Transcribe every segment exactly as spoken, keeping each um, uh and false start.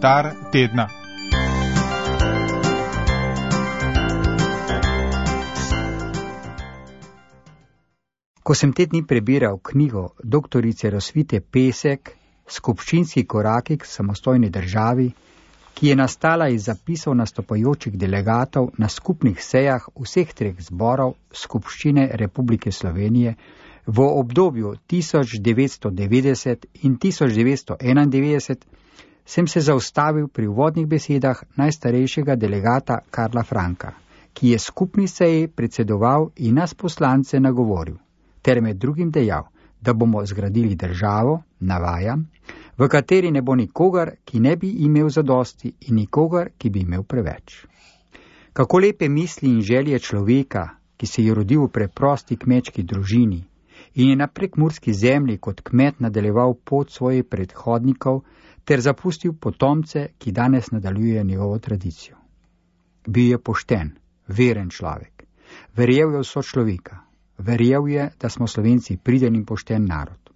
Komentar tedna. Ko sem te dni prebiral knjigo doktorice Rosvite Pesek, Skupščinski koraki k samostojni državi, ki je nastala iz zapisov nastopajočih delegatov na skupnih sejah vseh treh zborov Skupščine Republike Slovenije v obdobju tisoč devetsto devetdeset in tisoč devetsto enaindevetdeset, sem se zaustavil pri uvodnih besedah najstarejšega delegata Karla Franka, ki je skupni seji predsedoval in nas poslance nagovoril, ter med drugim dejal, da bomo zgradili državo, navajam, v kateri ne bo nikogar, ki ne bi imel zadosti in nikogar, ki bi imel preveč. Kako lepe misli in želje človeka, ki se je rodil v preprosti kmečki družini in je na prekmurski zemlji kot kmet nadaljeval pot svojih predhodnikov ter zapustil potomce, ki danes nadaljujejo njegovo tradicijo. Bil je pošten, veren človek, verjel je v sočloveka, verjel je, da smo Slovenci priden in pošten narod.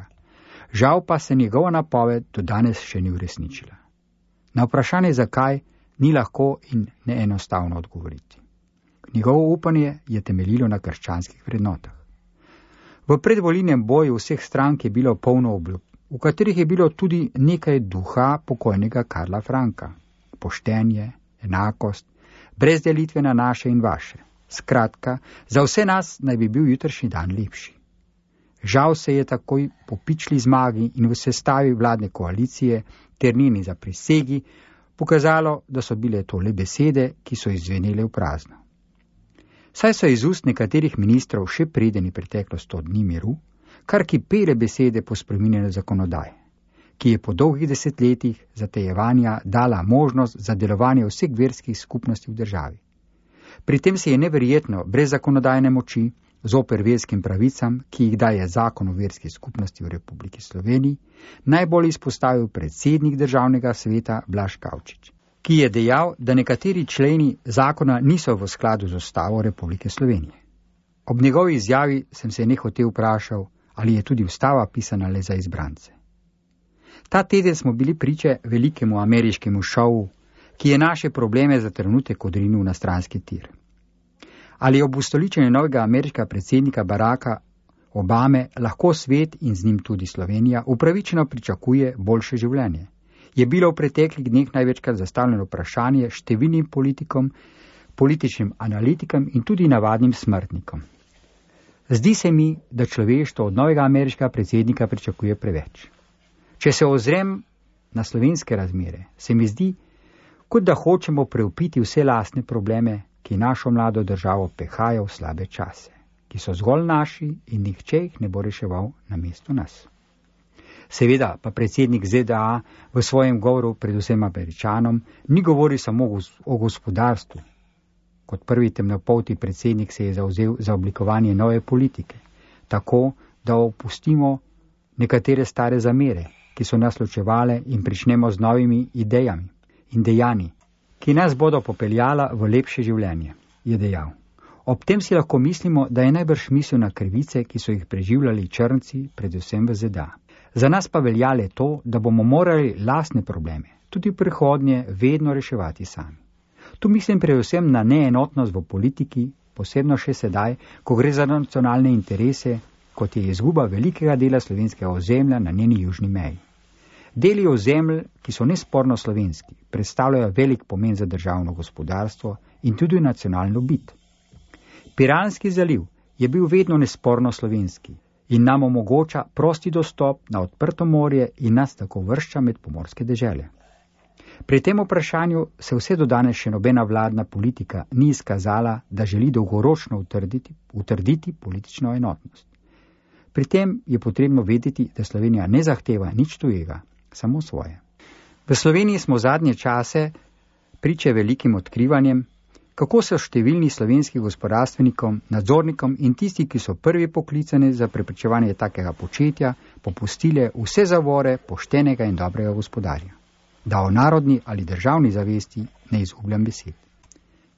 Žal pa se njegova napoved do danes še ni uresničila. Na vprašanje zakaj ni lahko in neenostavno odgovoriti. Njegovo upanje je temeljilo na krščanskih vrednotah. V predvolilnem boju vseh strank je bilo polno obljub, v katerih je bilo tudi nekaj duha pokojnega Karla Franka. Poštenje, enakost, brez delitve na naše in vaše. Skratka, za vse nas naj bi bil jutrišnji dan lepši. Žal se je takoj po pičli zmagi in v sestavi vladne koalicije ter njeni zaprisegi pokazalo, da so bile to le besede, ki so izzvenele v prazno. Saj so iz ust nekaterih ministrov še predeni preteklo sto dni miru, kar kipele besede po spreminjanju zakonodaje, ki je po dolgih desetletjih zatejevanja dala možnost za delovanje vseh verskih skupnosti v državi. Pri tem se je neverjetno brez zakonodajne moči zoper verskim pravicam, ki jih daje zakon o verski skupnosti v Republiki Sloveniji, najbolj izpostavil predsednik državnega sveta Blaž Kavčič, ki je dejal, da nekateri členi zakona niso v skladu z Ustavo Republike Slovenije. Ob njegovi izjavi sem se nehote vprašal, ali je tudi ustava pisana le za izbrance. Ta teden smo bili priče velikemu ameriškemu šovu, ki je naše probleme za trenutek odrinil na stranski tir. Ali ob ustoličenju novega ameriškega predsednika Baracka Obame lahko svet in z njim tudi Slovenija upravičeno pričakuje boljše življenje? Je bilo v preteklih dneh največkrat zastavljeno vprašanje številnim politikom, političnim analitikom in tudi navadnim smrtnikom. Zdi se mi, da človeštvo od novega ameriškega predsednika pričakuje preveč. Če se ozrem na slovenske razmere, se mi zdi, kot da hočemo preupiti vse lastne probleme, ki našo mlado državo pehajo v slabe čase, ki so zgolj naši in nihče jih ne bo reševal namesto nas. Seveda pa predsednik Z D A v svojem govoru predvsem Američanom ni govoril samo o gospodarstvu. Kot prvi temnopolti predsednik se je zavzel za oblikovanje nove politike, tako da opustimo nekatere stare zamere, ki so nas ločevale in pričnemo z novimi idejami in dejanji, ki nas bodo popeljala v lepše življenje, je dejal. Ob tem si lahko mislimo, da je najbrž mislil na krivice, ki so jih preživljali črnci, predvsem v Z D A. Za nas pa velja le to, da bomo morali lastne probleme, tudi v prihodnje, vedno reševati sami. Tu mislim predvsem na neenotnost v politiki, posebno še sedaj, ko gre za nacionalne interese, kot je izguba velikega dela slovenskega ozemlja na njeni južni meji. Deli ozemelj, ki so nesporno slovenski, predstavljajo velik pomen za državno gospodarstvo in tudi nacionalno bit. Piranski zaliv je bil vedno nesporno slovenski in nam omogoča prosti dostop na odprto morje in nas tako vršča med pomorske dežele. Pri tem vprašanju se vse do danes še nobena vladna politika ni izkazala, da želi dolgoročno utrditi, utrditi politično enotnost. Pri tem je potrebno vedeti, da Slovenija ne zahteva nič tujega, samo svoje. V Sloveniji smo zadnje čase priče velikim odkrivanjem, kako so številni slovenski gospodarstvenikom, nadzornikom in tisti, ki so prvi poklicani za preprečevanje takega početja, popustile vse zavore poštenega in dobrega gospodarja. Da o narodni ali državni zavesti ne izgubljam besed.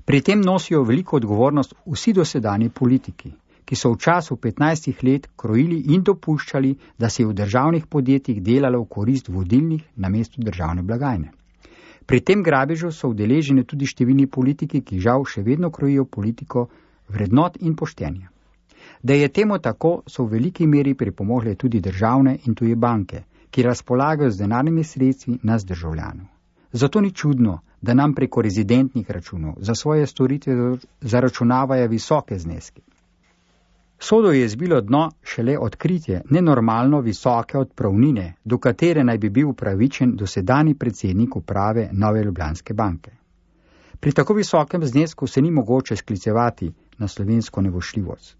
Pri tem nosijo veliko odgovornost vsi dosedanji politiki, ki so v času petnajstih let krojili in dopuščali, da se je v državnih podjetjih delalo v korist vodilnih namesto državne blagajne. Pri tem grabežu so udeleženi tudi številni politiki, ki žal še vedno krojijo politiko vrednot in poštenja. Da je temu tako, so v veliki meri pripomogle tudi državne in tuje banke, ki razpolagajo z denarnimi sredstvi nas državljanov. Zato ni čudno, da nam preko rezidentnih računov za svoje storitve zaračunavajo visoke zneske. Sodo je zbilo dno šele odkritje nenormalno visoke odpravnine, do katere naj bi bil upravičen dosedanji predsednik uprave Nove Ljubljanske banke. Pri tako visokem znesku se ni mogoče sklicevati na slovensko nevošljivost,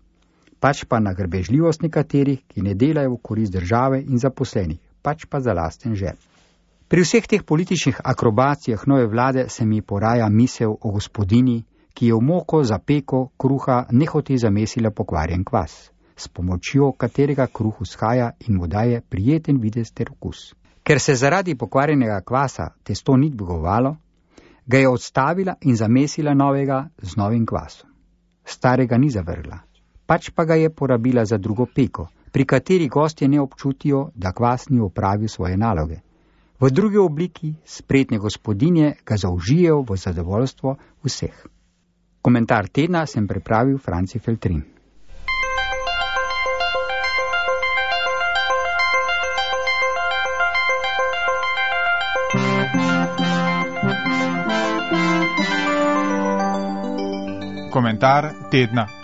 pač pa na grbežljivost nekaterih, ki ne delajo v korist države in zaposlenih, pač pa za lasten žep. Pri vseh teh političnih akrobacijah nove vlade se mi poraja misel o gospodini, ki je v moko za peko kruha nehote zamesila pokvarjen kvas, s pomočjo katerega kruh vzhaja in mu daje prijeten videz ter okus. Ker se zaradi pokvarjenega kvasa testo ni dvigovalo, ga je odstavila in zamesila novega z novim kvasom. Starega ni zavrgla, pač pa ga je porabila za drugo peko, pri kateri gostje ne občutijo, da kvas ni opravil svoje naloge. V drugi obliki spretne gospodinje ga zaužijejo v zadovoljstvo vseh. Komentar tedna sem pripravil Franci Feltrin. Komentar tedna.